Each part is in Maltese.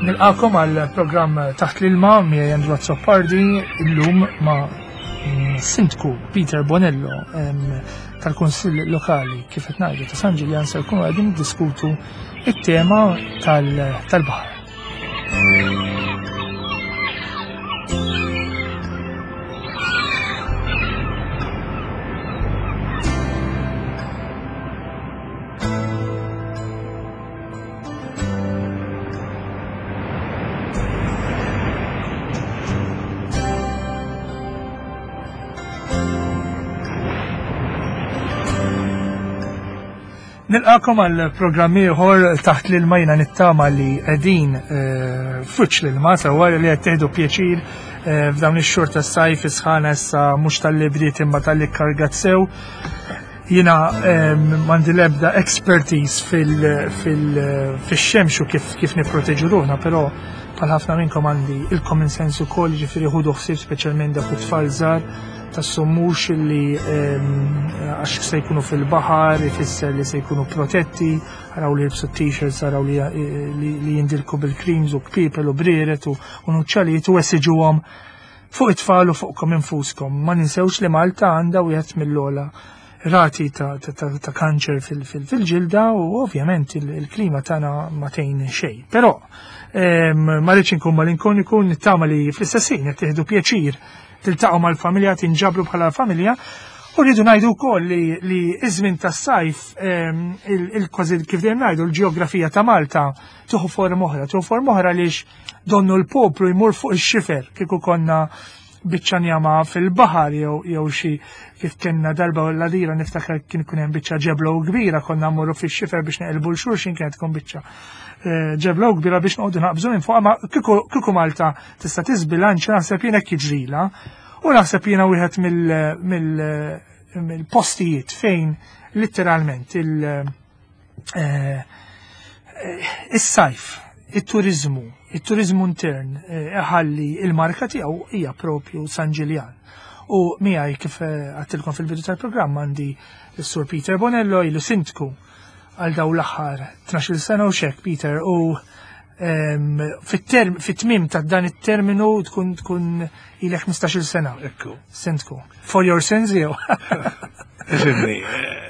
Nilqakom għal programm Taħt l-Ilma miegħi Andrew Azzopardi illum ma' Sindku Peter Bonello tal-Kunsill Lokali kif qed ngħidu ta' San Ġiljan se jkunu qegħdin niddiskutu it-tema tal-baħar. Nilqakom għal programm ieħor taħt l-ilma jiena nittama li qegħdin eh, fuċ l-ilma sewwa li qed tieħdu pjaċir eh, f'dawn ix-xhur tas-sajf isħana issa mhux tal-li bdiet imma tal-li kargat sew. Jiena m'għandi l-ebda expertise fil-xemx u kif kif nipproteġu ruħna, però bħal ħafna minnkom għandi il-common sense ukoll, ġifieri ħudu ħsieb speċjalment dak it-tfal żgħar tassumux li għax se jkunu fil-baħar, ifisser li se jkunu protetti, araw li jilbsu t-t-shirts, araw li jindilku bil-creams u kpipel u brieret u nuċċalijiet u esiġuhom fuq it-tfal u fuqkom infuskom. Ma ninsewx li Malta għandha wieħed mill-ogħla rati ta', ta, ta, ta kanċer fil-ġilda u ovvjament il-klima tagħna ma tgħin xejn. Però ma rridx inkun malinkoniku nittama li fl-istess ħin qed tieħdu pjaċir tiltaqgħu mal-familja tinġabru bħala familja U rridu ngħidu wkoll li, li iż-żmien tas-sajf il-kważi kif dejjem ngħidu l-ġeografija ta' Malta tieħu forma oħra, tieħu forma oħra għaliex donnu l-poplu jmur fuq ix-xifer kieku konna biċċa njama fil-baħar jew jew xi kif kellna darba u l-għadira niftakar kien ikun hemm biċċa ġeblo kbira konna mmorru fix-xifer biex neqilbu l xulxin kienet tkun biċċa eh, ġeblo kbira biex noqogħdu naqbżu minn fuq ma kieku Malta tista' tiżbilanċa naħseb jien hekk jiġrila u naħseb jiena wieħed mill-postijiet fejn litteralment il- Eh, eh, is-sajf, it-turizmu, it-turizmu intern eh, iħalli il-marka tiegħu hija propju San Ġiljan. U miegħi kif għattilkom fil-bidu tal-programm għandi s-Sur Peter Bonello ilu sindku għal daw l-aħħar 12 sena u xek Peter u ehm, fit-tmim ta' dan it-terminu tkun tkun ilek 15 sena. Ekku. Sindku. For your sins jew. Ifimni, eh,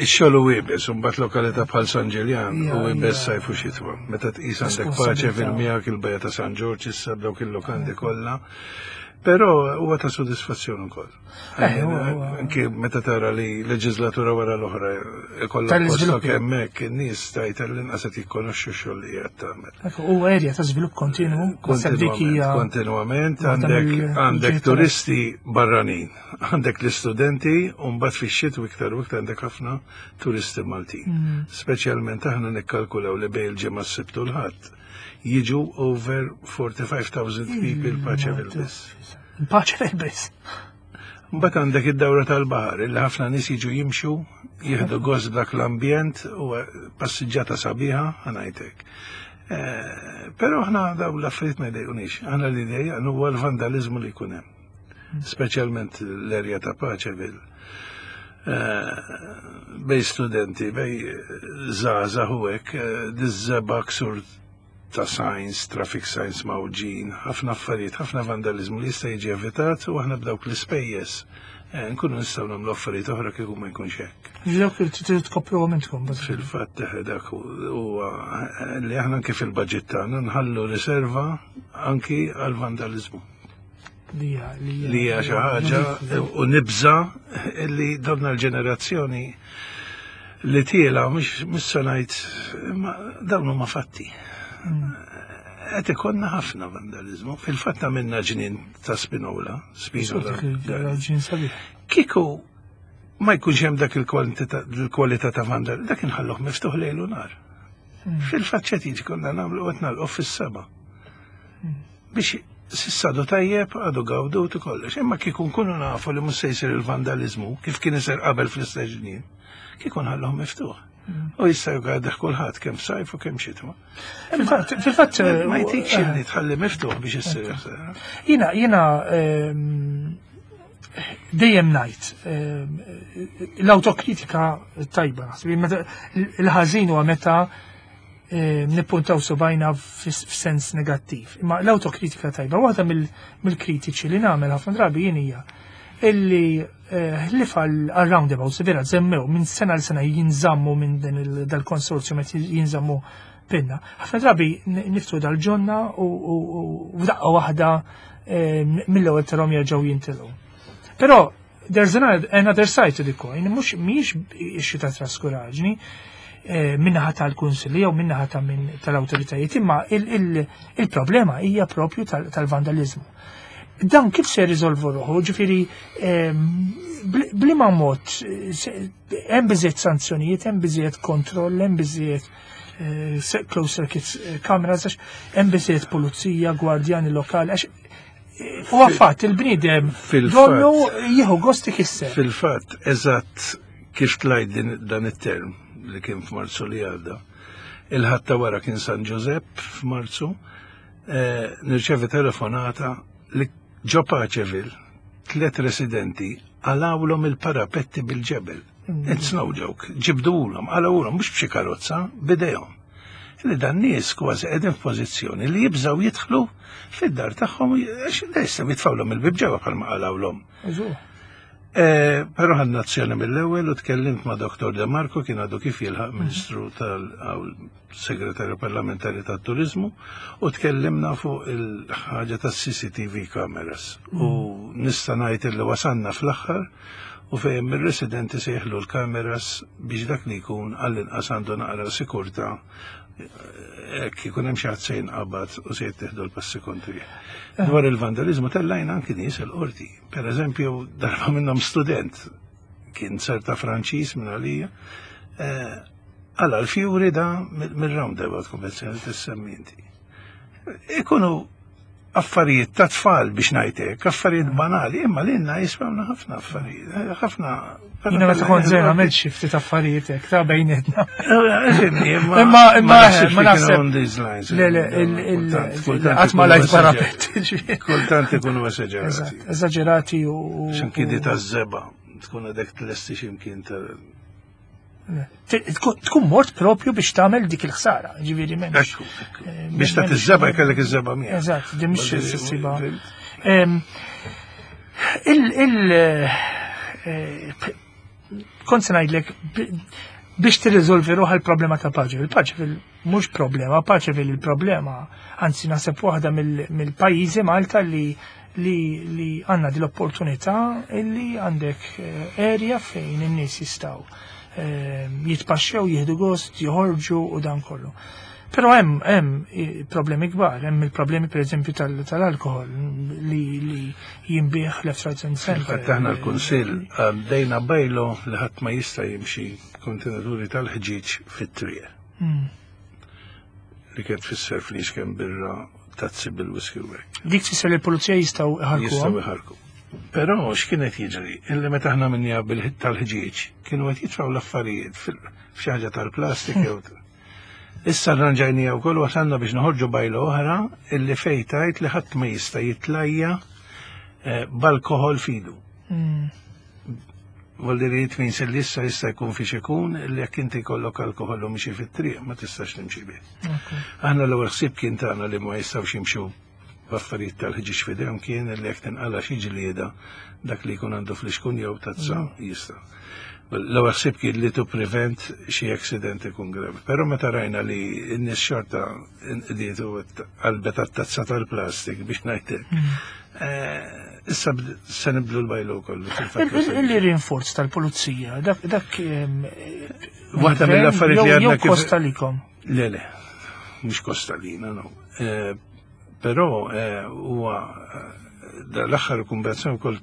ix-xogħol u iebes, u mbagħad lokalità bħal San Ġiljan u iebes sajf u xitwa. Meta tqis għandek paċe fil-miegħek il-bajja ta' San Ġorġ issa b'dawk il-lokandi kollha. Però huwa ta' sodisfazzjon ukoll. Eh, Anke meta tara li leġislatura wara l-oħra ikollha postok hemmhekk in-nies tajt l-inqas qed jikkonoxxu x-xogħol li qiegħed tagħmel. U erja ta' żvilupp kontinu, Kontinuament għandek għandek turisti barranin, għandek l-istudenti u mbagħad fix-xitwa iktar u iktar għandek ħafna turisti Maltin. Mm. Speċjalment aħna nikkalkulaw li bejn il-ġimgħa s-Sibt u l-Ħadd jiġu over 45,000 people Paċeville biss. Paċeville biss. Mbagħad għandek id-dawra tal-baħar illi ħafna nies jiġu jimxu, jieħdu gost b'dak l-ambjent u passiġġata sabiħa ħanajtek. Eh, però aħna daw l-affarijiet ma jdejqunix, aħna li jdejqan huwa l-vandalizmu li jkun hemm. Speċjalment l-erja ta' Paċeville. Eh, bej studenti, bej żgħażagħ u hekk, eh, diż-żeba ksur ta' signs, traffic signs mgħawġin, ħafna affarijiet, ħafna vandaliżmu li jista' jiġi evitat u aħna b'dawk l-ispejjeż eh, nkunu nistgħu nagħmlu affarijiet oħra kieku ma jkunx hekk. Dawk li tridu tkopruhom intkom. Fil-fatt eh, dak huwa eh, li aħna anke fil-budget tagħna nħallu riserva anki għal vandaliżmu. Li hija xi ħaġa u nibża li donna l-ġenerazzjoni li tiela mhux se ngħid imma dawn huma fatti. Mm. Qed ikollna ħafna vandaliżmu. Fil-fatt għamilna ġnien ta' Spinola, Spinola. Kieku ma jkunx hemm dak il-kwalità ta' vandal, dak inħalluh miftuħ lejl u nar. Mm. Fil-fatt xed jiġi konna nagħmlu qed nagħlqu fis-seba'. Mm. Biex sissa għadu tajjeb, għadu gawdut u kollox. Imma kieku nkunu nafu li mhux se jsir il-vandaliżmu kif kien isir qabel fl-istess ġnien, kieku nħalluh miftuħ. Mm. U jista' jgħaddih kulħadd kemm sajf u kemm xitwa. Fil-fatt ma jtikx eh, li tħalli miftuħ biex issir. Jiena jiena ehm, dejjem ngħid ehm, l-awtokritika tajba, il-ħażin huwa meta. Nippuntaw subajna f'sens negattiv. Imma l-autokritika tajba, waħda mill-kritiċi li nagħmel ħafna drabi jien hija illi ħlif għal-roundabouts, vera żemmew minn sena l sena jinżammu minn din dal-konsorzju meta jinżammu pinna. Ħafna drabi niftu dal-ġonna u f'daqqa waħda mill-ewwel tarahom jerġgħu jintilgħu. Però there's another side to the coin, mhux mhijiex issue ta' traskuraġni minnaħa tal-kunsilli jew minnaħa ta' min tal-awtoritajiet, imma il-problema hija propju tal-vandalizmu. Dan kif se riżolvu ruħu, ġifieri bliema mod hemm biżejjed sanzjonijiet, hemm biżejjed kontroll, hemm biżejjed closed circuit cameras, għax hemm biżejjed pulizija, gwardjani lokali, għax u għaffat il-bniedem donnu jieħu gost ikisser. Fil-fatt, eżatt kif tlajt dan it-term li kien f'Marzu li għadda. Il-ħadd ta' wara kien San Giuseppe f'Marzu, nirċevi telefonata li ġo Paċeville tlet residenti qalgħulhom il-parapetti bil-ġebel. It's no joke. Ġibduhom, qalgħulhom mhux b'xi karozza, bidejhom. Li dan nies kważi qegħdin f'pożizzjoni li jibżgħu jidħlu fid-dar tagħhom għax jistgħu jitfgħulhom il-bib ġewwa bħalma qalgħulhom. Però ħadna azzjoni mill-ewwel u tkellimt ma' Dr. De Marco, kien għadu kif jilħaq Ministru tal-Segretarju Parlamentari tat-Turizmu, u tkellimna fuq il-ħaġa tas-CCTV cameras. U nista' ngħid li wasanna fl-aħħar u fejn ir-residenti se jeħlu l-kameras biex dak li jkun għall-inqas għandu naqra sikurta hekk ikun hemm xi ħadd se jinqabad u se jittieħdu l-passi kontri. Dwar il-vandalizmu tellajna anki nies il-qorti. Per eżempju, darba minnhom student kien serta Franċiż minn għalija, għala l-fjuri da mill-roundabout konvenzjoni tissemmi inti. Ikunu affarijiet ta' tfal biex ngħidlek, affarijiet banali, imma lilna jiswewna ħafna affarijiet, ħafna. Jiena meta kont żgħir għamilt xi ftit affarijiet hekk ta' bejnietna. Imma Imma ma naħseb. Le, le, qatt ma lajt parapet. Kultant ikunu esaġerati. Esaġerati u. X'imkien ta' żeba, tkun għadek tlesti x'imkien ta' Tkun mort propju biex tagħmel dik il-ħsara, ġifieri m'hemmx. Biex ta' iż-żeba jkellek iż-żeba miegħek. Eżatt, di mhix issiba. Il kont se ngħidlek biex tirriżolvi ruħha l-problema ta' Paċeville. Paċeville mhux problema, Paċeville il-problema, anzi naħseb waħda mill-pajjiżi Malta li għandna din l-opportunità illi għandek area fejn in-nies jistgħu jitpaxxew, jieħdu gost, joħorġu u dan kollu. Però hemm problemi kbar, hemm il-problemi pereżempju tal-alkohol li jinbiegħ left, right and center. Fil-fatt aħna l-Kunsill għaddejna bylaw li ħadd ma jista' jimxi kontenituri tal-ħġieġ fit-triq. Li kien tfisser fliexken birra, tazzi bil-whisky u hekk. Dik tfisser li l-pulizija jistgħu iħarku. Jistgħu iħarku. Però x'kienet jiġri? Illi meta aħna minnija bil-ħit tal-ħġieġ kienu qed jitfgħu l-affarijiet f'xi ħaġa tal-plastik jew Issa rranġajnija wkoll wasalna biex noħorġu bylaw oħra illi fejn tgħid li ħadd ma jista' jitlajja b'alkohol f'idu. Vuol it means li issa jista' jkun fiex ikun li jekk inti jkollok alkohol u mixi fit-triq ma tistax timxi bih. Aħna l-ewwel ħsieb kien tagħna li ma jistgħux jimxu b'affarijiet tal-ħġieġ f'idejhom kien li jekk tinqala xi ġlieda dak li jkun għandu flixkun jew tazza jista'. L-ewwel ħsieb kien li to prevent xi accident ikun gravi. Però meta rajna li n-nies xorta nqdiet u qalbet għat-tazza tal-plastik biex ngħidlek. Issa se nibdlu l-bylaw kollu. Il-rinforz tal-pulizija, dak Waħda mill-affarijiet li għadna kif. Kosta likom. Le, le, mhux kosta lina, no. Però huwa l-aħħar konvenzjoni wkoll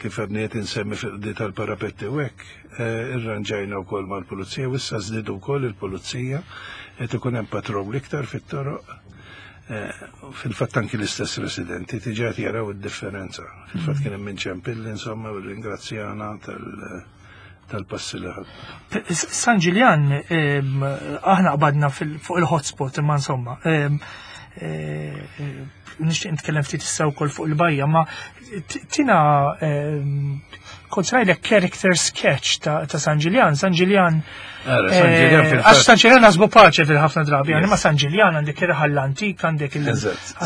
kif għadni qed insemmi fuq tal-parapetti u hekk, irranġajna wkoll mal-pulizija u issa żdiedu wkoll il-pulizija qed ikun hemm patrol iktar fit-toroq. Fil-fatt anki l-istess residenti diġà qed jaraw id-differenza. Fil-fatt kien hemm ċempilli insomma u ringrazzjana tal-passi li ħadna. San Ġiljan, aħna qbadna fuq il-hotspot, imma insomma. eh, nixtieq nitkellem ftit issa wkoll fuq il-bajja, ma tina kont rajlek character sketch ta' San Ġiljan. San Ġiljan. Eh, għax San Ġiljan għazbu paċe fil-ħafna drabi, għani ma San Ġiljan għandek ir-raħal l-antik, għandek il-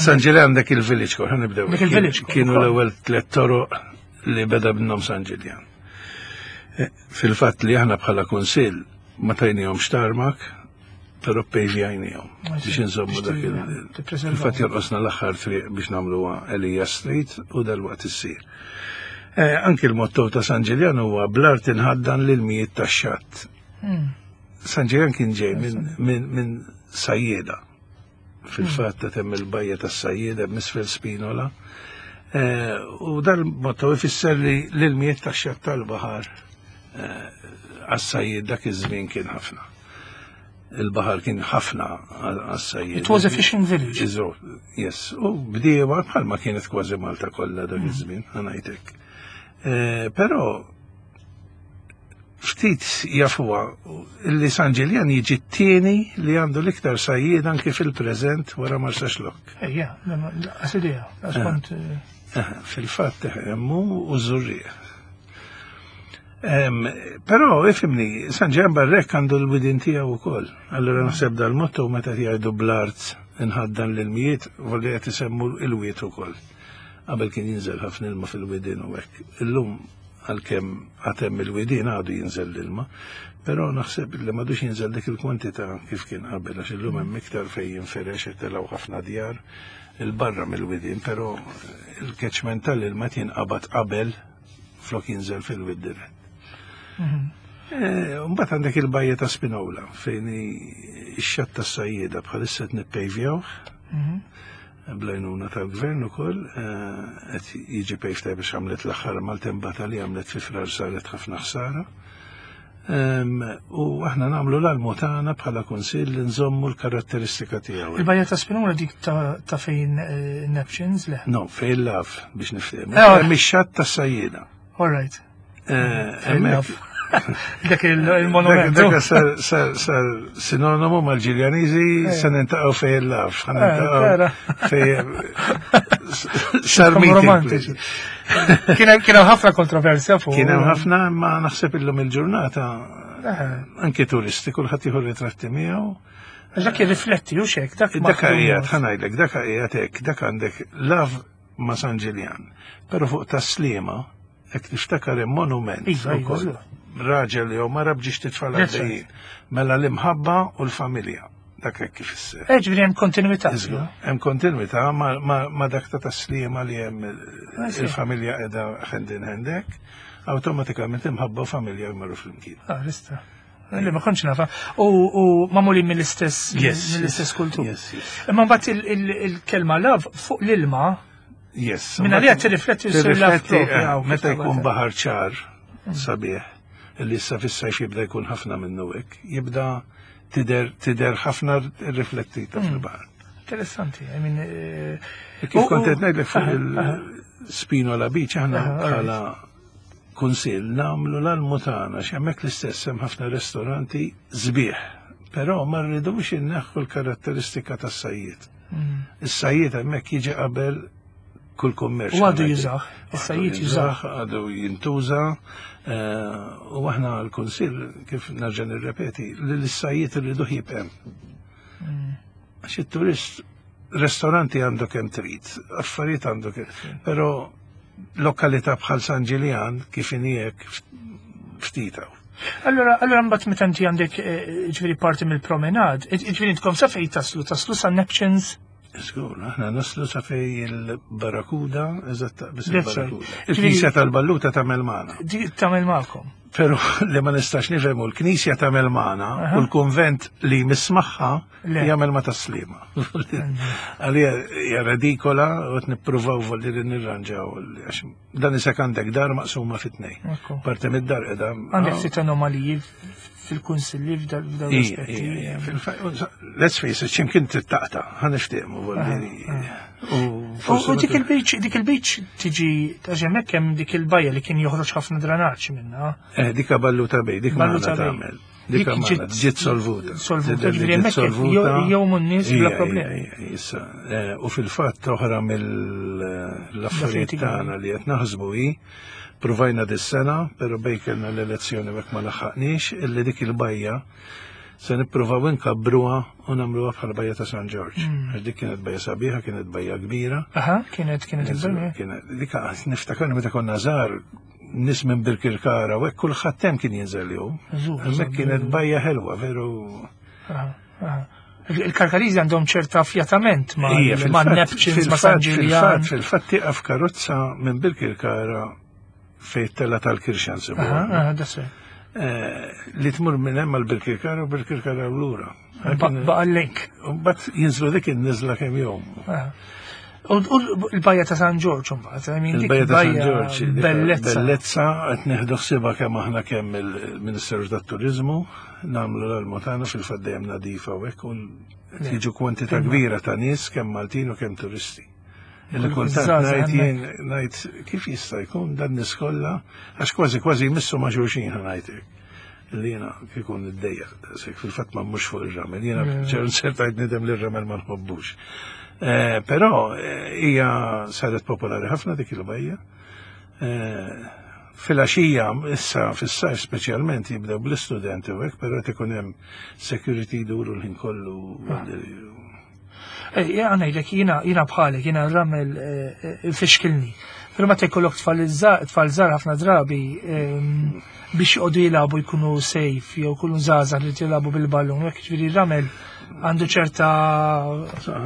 San Ġiljan għandek il-village core, nibdew. Il-village core. Kienu l-ewwel tliet toroq li beda b'nom San Ġiljan. Eh, fil-fatt li aħna bħala kunsill ma tajnihomx tarmak, Pero pejvjajnijom biex nżommu dak il- Il-fatt jonqosna l-aħħar triq biex nagħmluha Elija Street u dal-waqt issir. Eh, anki l-motto ta' San Ġiljan huwa bl-art inħaddan lil mijiet tax-xatt. Hmm. San Ġiljan kien ġej minn sajjeda. Fil-fatt ta' temm il-bajja tas-sajjeda misfel Spinola. Eh, u dal-motto ifisser li l-mijiet tax-xatt tal-baħar eh, għas-sajjed dak iż-żmien kien ħafna. Il-baħar kien ħafna għas-sajjied. It was a fishing village. Iżo, yes. U bdiewa bħalma kienet kważi Malta kollha dak mm. iż-żmien, ħanajtek. Eh, però ftit jafuha li San Ġiljan jiġi t-tieni li għandu l-iktar sajjied anki fil-preżent wara Marsaxlokk. Ejja, għasidija, għaskont. Eh. Eh, fil-fatt hemmu u żurrieq. Però, ifimni, San Ġan Barrek għandu l-widin tiegħu wkoll. Allura naħseb dal-motto meta jgħidu bl-art inħaddan l-ilmijiet, volli qed isemmu l-wiet ukoll. Qabel kien jinżel ħafna ilma fil-widin u hekk. Illum għalkemm għad hemm il-widin għadu jinżel l-ilma, però naħseb li m'għadux jinżel dik il-kwantità kif kien qabel għax illum hemm iktar fejn jinferex qed telgħu ħafna djar il-barra mill-widin, però il-catchment tal-ilma jinqabad qabel flok jinżel fil-wid dirett. Mhm. Eh, mbagħad għandek il-bajja ta' Spinola fejn ix-xatt tas-sajjieda bħalissa qed nippejvjawh. Mhm. Blajnuna tal-gvern ukoll eh, qed jiġi pejf tajb biex għamlet l-aħħar maltembata li għamlet fi frar saret ħafna ħsara. U aħna nagħmlu l-almu tagħna bħala kunsill li nżommu l-karatteristika tiegħu. Il-bajja ta' Spinola dik ta' fejn eh, Neptunes le? No, fejn laf biex niftehmu. Eh, Hemm ix-xatt tas-sajjieda. All right. Eh, Dak il-monument. Dak sar sinonimu mal-Ġiljaniżi se nintaqgħu fejn il-laf. Fejn sar romantiċi. Kien hemm ħafna kontroversja fuq. Kien hemm ħafna, ma naħseb illum il-ġurnata eh. anke turisti kulħadd jieħu ritratti miegħu. Dak jirrifletti u xek, dak. Dak qiegħed ħanajdlek, dak qiegħed hekk, dak għandek lav ma' San Ġiljan. Però fuq tas-Sliema Jekk tiftakar hemm monument iva, iva, ukoll. Iva. Raġel jew mara bġiex titfal għaddejjin. Mela l-imħabba u l-familja. Dak hekk kif issir. Eh, ġifieri hemm kontinwità. Hemm kontinwità ma dak ta' taslima li hemm ah, il-familja qiegħda hand in hand hekk, awtomatikament imħabba u familja jmorru flimkien. Ah, rista. Li ma kontx nafa. U mamulin mill-istess mill-istess kultur. Imma mbagħad il-kelma love fuq l-ilma Yes. Minna li għad tirrifletti Tirrifletti eh, meta jkun baħar ċar sabiħ li issa fis-sajf jibda jkun ħafna minnu hekk, jibda tider tider ħafna riflettita hmm. fil-baħar. Interessanti, I mean. Eh, kif kont qed ngħidlek fuq il-Spinola Beach aħna bħala kunsill nagħmlu l-almu tagħna x'hemmhekk l-istess hemm ħafna ristoranti sbieħ, però ma rridux inneħħu l-karatteristika tas-sajjied. Mm. Is-sajjied hemmhekk jiġi qabel kull kummerċ. U għadu jużah, is-sajjied jużah. Għadu jintuża eh, u aħna l-kunsill kif nerġa' nirrepeti li l-sajjied irridu jibqem. Mm. Għax it-turist ristoranti għandu kemm trid, affarijiet għandu kemm, però lokalità bħal San Ġiljan kif inhi ftit hawn. Allora, allora mbagħad meta inti għandek eh, ġifieri parti mill-promenad, eh, ġifieri intkom sa fejn taslu, taslu sa Neptunes? Żgur, aħna naslu sa fej il-Barracuda, eżatt biss il-Barracuda. Il-Knisja tal-Balluta tagħmel magħna. Tagħmel magħkom. Però li ma nistax nifhemu l-Knisja tagħmel magħna u l-kunvent li mismaħħa jagħmel ma taslima. Għalija hija redikola u qed nippruvaw volli li nirranġaw għax dan isek għandek dar maqsuma fit-tnejn. Parti mid-dar qiegħda. Għandek ftit anomaliji fil-kunsilli f'dawn l-aspetti. Let's face it, x'imkien trid taqta' ħa niftehmu volli. U dik il-beach, dik il-beach tiġi għax hemmhekk hemm dik il-bajja li kien joħroġ ħafna dranaġġ minnha. Eh, dik balluta bej, dik balluta tagħmel. Dik ġiet solvuta. Solvuta, ġifieri hemmhekk jgħumu n-nies bla problemi. Issa, eh, u fil-fatt oħra mill-affarijiet tagħna li qed naħsbu hi provajna dis-sena, però bejn kellna l-elezzjoni hekk ma laħħaqniex, illi dik il-bajja se nippruvaw inkabbruha u nagħmluha bħala bajja ta' San Ġorġ. Għax dik kienet bajja sabiħa, kienet bajja kbira. Aha, kienet kienet il-bajja. Kienet dik niftakar meta konna żgħar nies minn Birkirkara u hekk kulħadd hemm kien jinżel jew. Hemmhekk kienet bajja ħelwa, veru. Il-Karkariżi għandhom ċerta affjatament ma' Neptunes, ma' San Ġiljan. Fil-fatt tieqaf karozza minn Birkirkara fejn tella tal-Kirxan sibu. Eh, li tmur minn hemm għal Birkirkara u Birkirkara u lura. Baqa l-link. Bat jinżlu dik in-niżla kemm jom. U l-bajja ta' San Ġorġ mbagħad, I mean, il-bajja ta' San Ġorġ, bellezza. Bellezza qed nieħdu ħsiebha kemm aħna kemm il-Ministeru tat-Turiżmu nagħmlu l-almu tagħna fil-fatt dejjem nadifa u hekk u jiġu kwantità kbira ta' nies kemm Maltin u kemm turisti. Illi kultant ngħid jien ngħid kif jista' jkun dan nies kollha għax kważi kważi jmissu ma' xulxin ħa ngħidlek. Li jiena kieku niddejjaq daqshekk fil-fatt ma mhux fuq ir-ramel, jiena ċertajt nidem li r-ramel ma nħobbux. Eh, però eh, hija saret popolari ħafna dik il-bajja. Eh, Fil-għaxija, issa fis-sajf speċjalment jibdew bl-istudenti u hekk, però qed ikun hemm security jduru l-ħin kollu. Ah. Għanajdlek, jina bħalek, jina ramel eh, eh, fixkilni. Pero ma jkollok tfal żgħar ħafna drabi ehm, biex joqogħdu jilagħbu jkunu safe jew jkunu żgħażagħ li jilagħbu bil-ballun, hekk ġifieri ramel għandu ċerta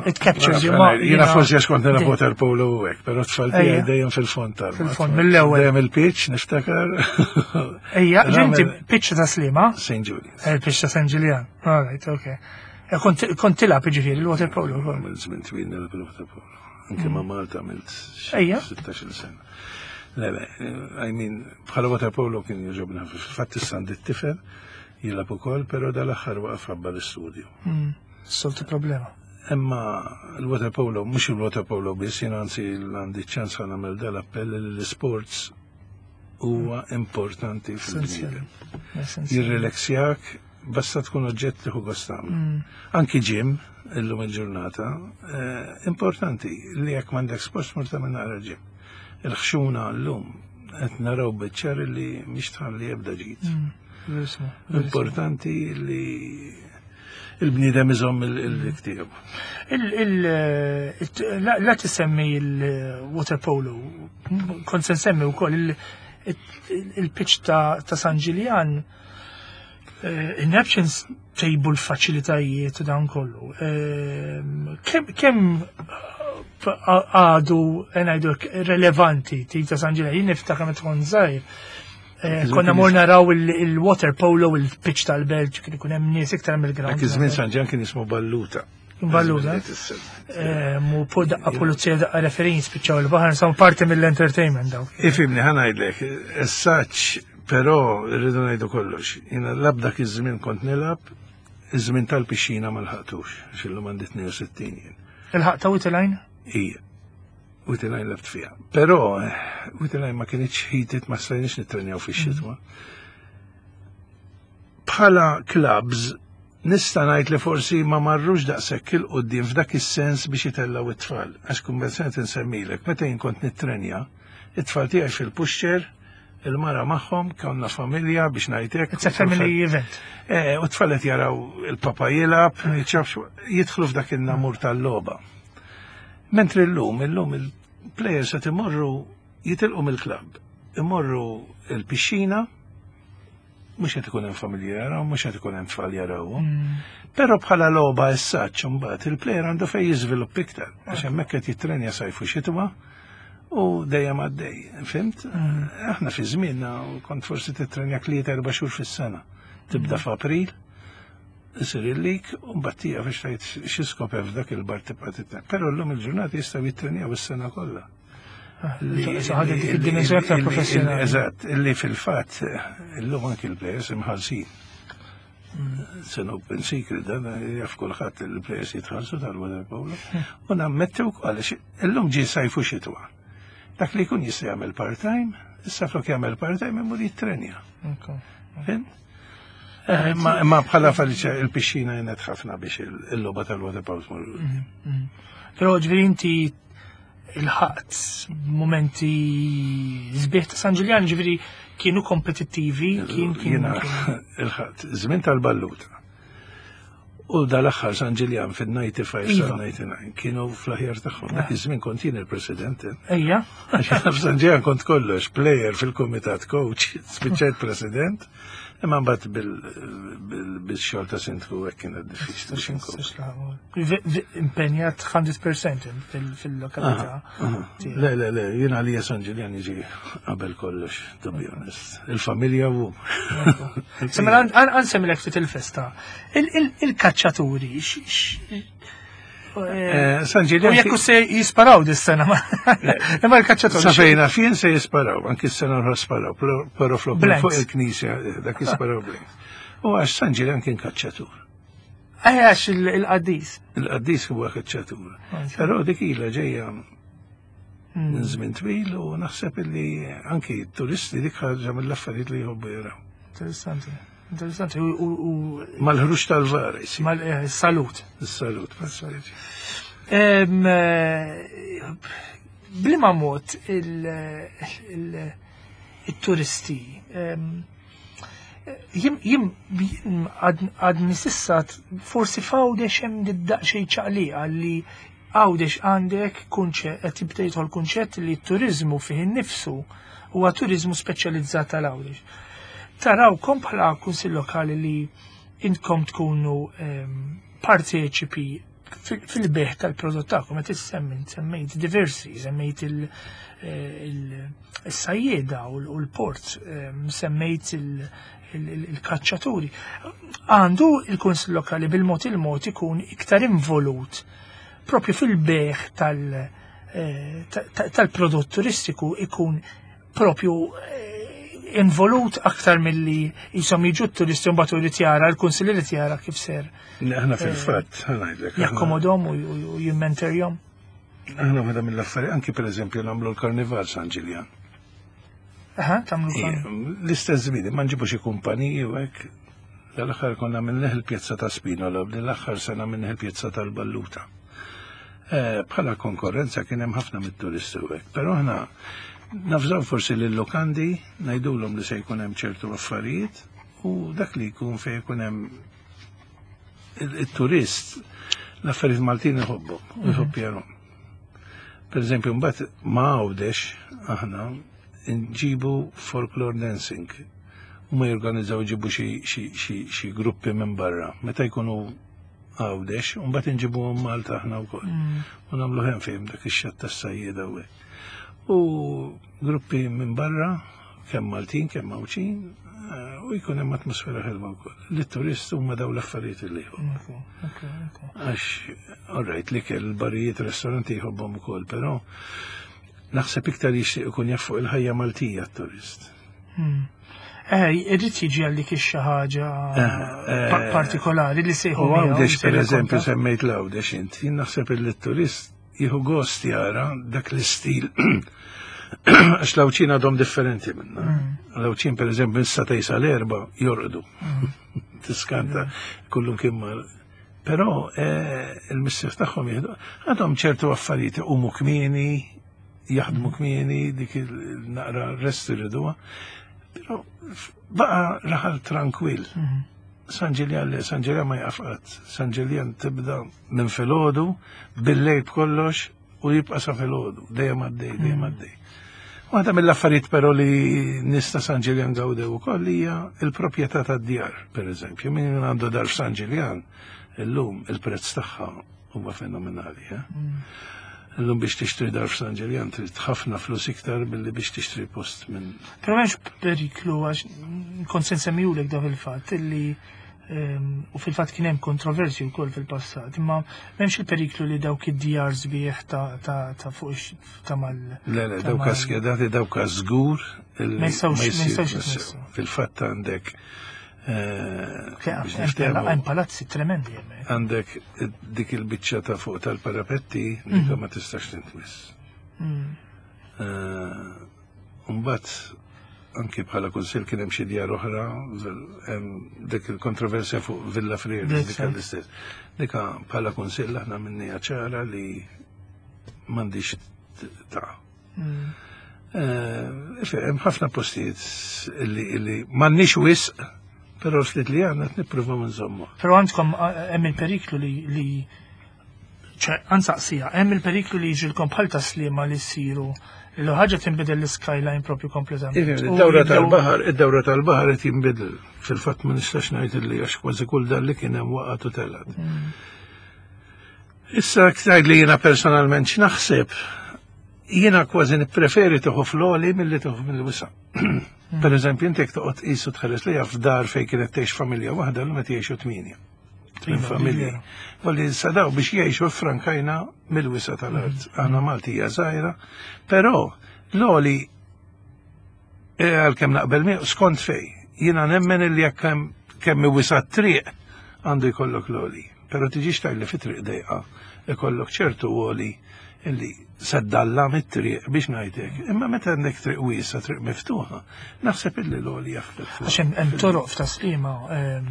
it captures you. Jiena forsi għax kont nilgħab water polo u hekk, però tfal tiegħi dejjem fil-fond tal. Fil-fond mill-ewwel. Dejjem il-pitch niftakar. Ejja, ġinti pitch ta' Slima? St. Julian. Il-pitch ta' St. Julian. All right, okay. Eh, kont tilgħab jiġifieri l-water polo wkoll. Għamilt żmien twil nilgħab il-water polo. Anke ma' mm. Malta għamilt 16 sena. Le, le, I mean, bħala water polo kien jogħġobna. Fil-fatt issa għandi t-tifel jilgħab ukoll, però dal-aħħar waqaf ħabba l-istudju. Mm, soltu problema. Imma l-water polo, mhux il-water polo biss, jien anzi għandi ċans ħa nagħmel dal-appell li l-sports huwa importanti fil-bniedem. Jirrelaxjak, basta tkun oġġett li gost tagħmlu. Mm. Anki ġim, illum il-ġurnata, eh, importanti li jekk m'għandek sport mur tagħmel naqra ġim. Il-ħxuna llum qed naraw biċ-ċar li mhix tħalli ebda ġid. Mm, importanti li il-bniedem iżomm il-dik La tisemmi il-water polo, kont se nsemmi wkoll il-pitch ta' San Ġiljan eh, in-Neptunes tejbu l-faċilitajiet u dan kollu. Eh, kemm għadu eh, ngħidu relevanti tip ta' San Ġiljan, jien niftakar meta kont żgħir Eh, konna mor naraw il-water polo, il-pitch tal-belt, kien ikun hemm nies iktar mill-ground. Dak iż-żmien San Ġan kien jismu Balluta. Balluta. Eh, mu daqqa pulizija daqqa referin spiċċaw il-baħar, samu parti mill-entertainment daw. Ifimni ħa ngħidlek, essaċ però rridu ngħidu kollox. Jiena lab dak iż-żmien kont nilgħab, iż-żmien tal-pixxina ma lħaqtux, għax illum għandi 62 jien. Il-ħaqta u tilajn? Ija. Witilajn lebt fiha. Però Witilajn ma kienx heated ma stajniex nittrenjaw fix-xitwa. Bħala clubs nista' ngħid li forsi ma marrux daqshekk il quddiem f'dak is-sens biex itellgħu it-tfal. Għax kummerċjant insemmilek, meta jien kont nittrenja, it-tfal tiegħi fil-pushchair, il-mara magħhom, konna familja biex ngħidlek. It's a family event. Eh, u t-tfal qed jaraw il-papa jilgħab, jidħlu f'dak in-namur tal-logħba. Mentri llum, illum il-players qed imorru jitilqu mill-klabb, imorru l-pixxina, mhux qed ikun hemm familji jaraw, mhux qed ikun hemm tfal jarawhom. Mm. Però bħala logħba essaċ imbagħad il-player għandu fejn jiżvilupp iktar, għax hemmhekk qed jittrenja sajfu xitwa u dejjem għaddej. Fimt? Mm. Aħna fi żmienna kont forsi titrenja tliet erba' xhur fis-sena. Tibda mm. f'April, isir il-lik u mbagħad tieqaf biex tgħid xi skop hemm f'dak il-bar tibqa' titrenja. Però llum il-ġurnata jistgħu jittrenjaw is-sena kollha. Ah, ħadet id-dimensjoni aktar professjonali. Eżatt, illi fil-fatt illum anki l-players imħallsin. It's an open secret, dan jaf kulħadd il-players jitħallsu tal-water polo. U nammetti wkoll illum ġie sajfu xitwa. Dak li jkun jista' jagħmel part-time, issa flok jagħmel part-time imur jittrenja. Fim? Eh, ma bħala faliċa il-pixxina jenet ħafna biex il-logħba tal-water polo tmur. Mhm, mhm. Però ġifieri inti il-ħaqt momenti sbieħ ta' San Ġiljan ġifieri kienu kompetittivi, kien kien. Il-ħaqt, żmien tal-balluta. U dal-aħħar San Ġiljan fin-95 sa 99 iva. kienu fl-aħjar tagħhom. Dak iż-żmien kont jien il-president. Ejja. Għax f'San Ġiljan kont kollox, player fil-kumitat coach, spiċċajt president. Imma mbagħad bil-xogħol ta' sindku hekk kienet diffiċli biex inkompli. Impenjat 100% fil-lokalità. Le, le, le, jien għalija San Ġiljan jiġi qabel kollox, to be honest. Il-familja u. Mela għansemmilek ftit il-festa. Il-kaċċaturi, Eh, San Ġiljan. U jekk se jisparaw dis-sena, imma l-kaċċatur. Sa fejna fien se jisparaw, anki s-sena l sparaw, però flok fuq il-knisja eh, dak jisparaw blanks. U għax San Ġiljan kien kaċċatur. Eh, għax il-qaddis. Il-qaddis huwa kaċċatur. Però dik ilha ġejja minn żmien twil u naħseb illi anki turisti dik ħaġa mill-affarijiet li jħobbu jaraw. Interessanti. Interessanti u mal-ħruġ tal-var Mal-salut. Eh, Is-salut. Eh, bliema mod il-turisti jim jim għadni sissa forsi f'Għawdex hemm daqsxejn ċaqliqa li Għawdex għandek kunċett qed jibda jidħol kunċett li t-turiżmu fih innifsu huwa turiżmu speċjalizzat għal Għawdex. Tarawkom bħala Kunsill Lokali li intkom tkunu ehm, parteċipi fil-beħ tal-prodott tagħkom qed issemmi semmejt diversi, semmejt eh, il-sajjieda u l-port, ehm, semmejt il-kaċċaturi. Għandu il-Kunsill Lokali bil-mod il-mod ikun iktar involut propju fil-beħ eh, tal-prodott turistiku ikun propju eh, involut aktar milli jisom jiġu t-turisti mbagħad irid jara l-kunsill irid jara kif ser. Aħna eh, fil-fatt, ngħidlek. Jakkomodhom u jimmenterjhom. Aħna waħda mill-affarijiet anki pereżempju nagħmlu l-Karnival San Ġiljan. Aha, tagħmlu l L-istess żmien, ma nġibu xi kumpaniji u hekk. Dal-aħħar konna minneħ il-pjazza ta' Spinola, l-aħħar sena minneħ il-pjazza tal-Balluta. Eh, bħala konkurrenza kien hemm ħafna mit-turisti u hekk, però aħna nafżaw forsi lil lokandi ngħidulhom li se jkun hemm ċertu affarijiet u dak li jkun fejn jkun hemm il-turist l-affarijiet Maltin iħobbhom u mhm. jħobb jarhom. Per eżempju, mbagħad ma għawdex aħna nġibu folklore dancing u ma jorganizzaw ġibu xi gruppi minn barra. Meta jkunu għawdex, u mbagħad inġibuhom Malta aħna wkoll. Mm. U nagħmlu hemm fejn dak ix-xatt tas-sajjieda u U gruppi minn barra, kemm Maltin, kemm Għawdxin, eh, u jkun hemm atmosfera ħelwa wkoll. Li turist huma daw l-affarijiet li jħobbu. Għax, all right, l-ikel, barijiet, ristoranti jħobbhom ukoll, però naħseb iktar jixtieq ikun jaf fuq il-ħajja Maltija t-turist. Hmm. Eh, irrid jiġi għal dik xi ħaġa eh, eh, partikolari li sejħu. U għawdex, per eżempju, semmejt l-għawdex int, jien naħseb il-turist jieħu gost jara dak l-istil għax l-Għawdxin għadhom differenti minna. Mm. L-Għawdxin per eżempju issa tejsa l-erba jorqdu. Mm. Tiskanta mm. kullum kien mal. Però eh, il-missier tagħhom jieħdu għadhom ċertu affarijiet iqumu kmieni, jaħdmu kmieni, dik il-naqra rest iriduha. Però baqa raħal tranquill. Mm-hmm. San Ġiljan le, San Ġiljan ma jaqaf qatt. San Ġiljan tibda minn filgħodu, bil-lejl b'kollox u jibqa' sa filgħodu, dejjem għaddej, dejjem mm. għaddej. Waħda mill-affarijiet però li nista San Ġiljan gawdew ukoll hija il-proprjetà tad-djar, pereżempju, min għandu dar f'San Ġiljan, illum il-prezz tagħha huwa fenomenali. Eh? Mm. Illum biex tixtri dar f'San Ġiljan trid ħafna flus iktar milli biex tixtri post minn. Però m'hemmx periklu għax kont se nsemmihulek dak il-fatt illi Ehm, u fil-fatt kien hemm kontroversji wkoll fil-passat, imma m'hemmx il-periklu li dawk id-djar sbieħ ta' fuq ta' mal. Le, le, dawk skedati dawk żgur ma jistgħux Fil-fatt għandek eh, Hemm palazzi tremendi hemmhekk. Għandek dik il-biċċa ta' fuq tal-parapetti dik mhm. ma tistax tintmiss. Mm. Eh, mbagħad. anki bħala kunsill kien hemm xi djar oħra, dik il-kontroversja fuq Villa Frieri, dik l-istess. Dika bħala kunsill aħna minnija ċara li m'għandix ta'. Eh, hemm ħafna postijiet li m'għandniex wisq, però ftit li għandna qed nippruvaw nżommu. Però għandkom eh, hemm il-periklu li ċe, għansaqsija, hemm il-periklu li jiġilkom bħal taslima li ssiru li ħaġa tinbidel l-skyline propju kompletament. Id-dawra tal-baħar, id-dawra tal-baħar qed jinbidel. Fil-fatt ma nistax ngħid li għax kważi kull dan li kien hemm waqgħet u telgħet. Issa tgħid li jiena personalment x'naħseb, jiena kważi nippreferi tieħu fl-għoli milli tieħu mill-wisa'. Per eżempju, inti jekk toqgħod tqis u tħares lejha f'dar fejn kienet tgħix familja waħda llum qed jgħixu tmienja. Tmien familji. Volli sadaw biex jgħixu frankajna mill-wisa tal-art. Mm. Aħna Maltija żgħira, però l-oli eh, għalkemm naqbel miegħu skont fej. Jiena nemmen li jekk kemm wisa triq għandu jkollok l-oli. Però tiġix tajli fi triq dejqa ikollok ċertu oli illi seddalla mit-triq biex ngħidlek. Imma meta għandek triq wiesa, triq miftuħa, naħseb illi l-għoli jaħdem. Għax hemm toroq f'taslima ehm,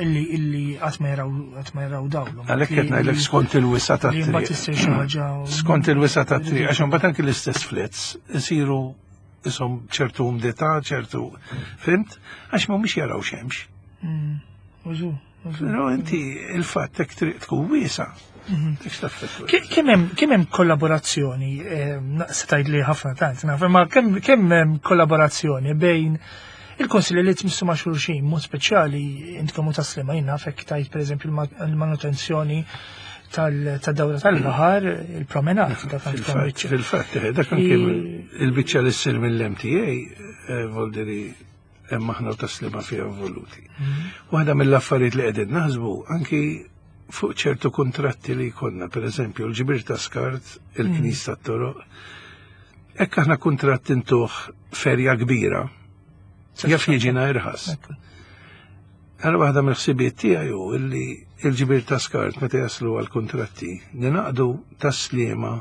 illi illi qatt ma jaraw qatt ma jaraw dawlu. Għalhekk qed ngħidlek skont il-wisa tat-triq. Mbagħad issir xi ħaġa. Skont il-wisa tat-triq, għax imbagħad anki l-istess flets isiru isom ċertu umdità, ċertu fimt, għax mhumiex jaraw xemx. Mm, użu. Però inti il-fatt hekk triq tkun wiesa. Mhm. Kemm hemm kollaborazzjoni, eh, se tgħid li ħafna tant, naf, imma kemm hemm kollaborazzjoni bejn il-konsilli li tmissu ma' xulxin, mod speċjali intkom u taslima jien naf hekk tajt pereżempju l-manutenzjoni tal-dawra tal-baħar, il-promenat. Fil-fatt, eh, dak anke il-biċċa li ssir mill-MTA, eh, voldiri hemm aħna u taslima fiha involuti. Mhm. Waħda mill-affarijiet li qegħdin naħsbu anki fuq ċertu kontratti li jkollna, per eżempju, l-ġbir ta' skart, il-knis mhm. tat-toroq, hekk aħna kuntratt intuħ ferja kbira, jaf jiġina irħas. Għal waħda mill-ħsibiet tiegħi hu illi il-ġbir ta' skart meta jaslu għal kontratti ninaqdu taslima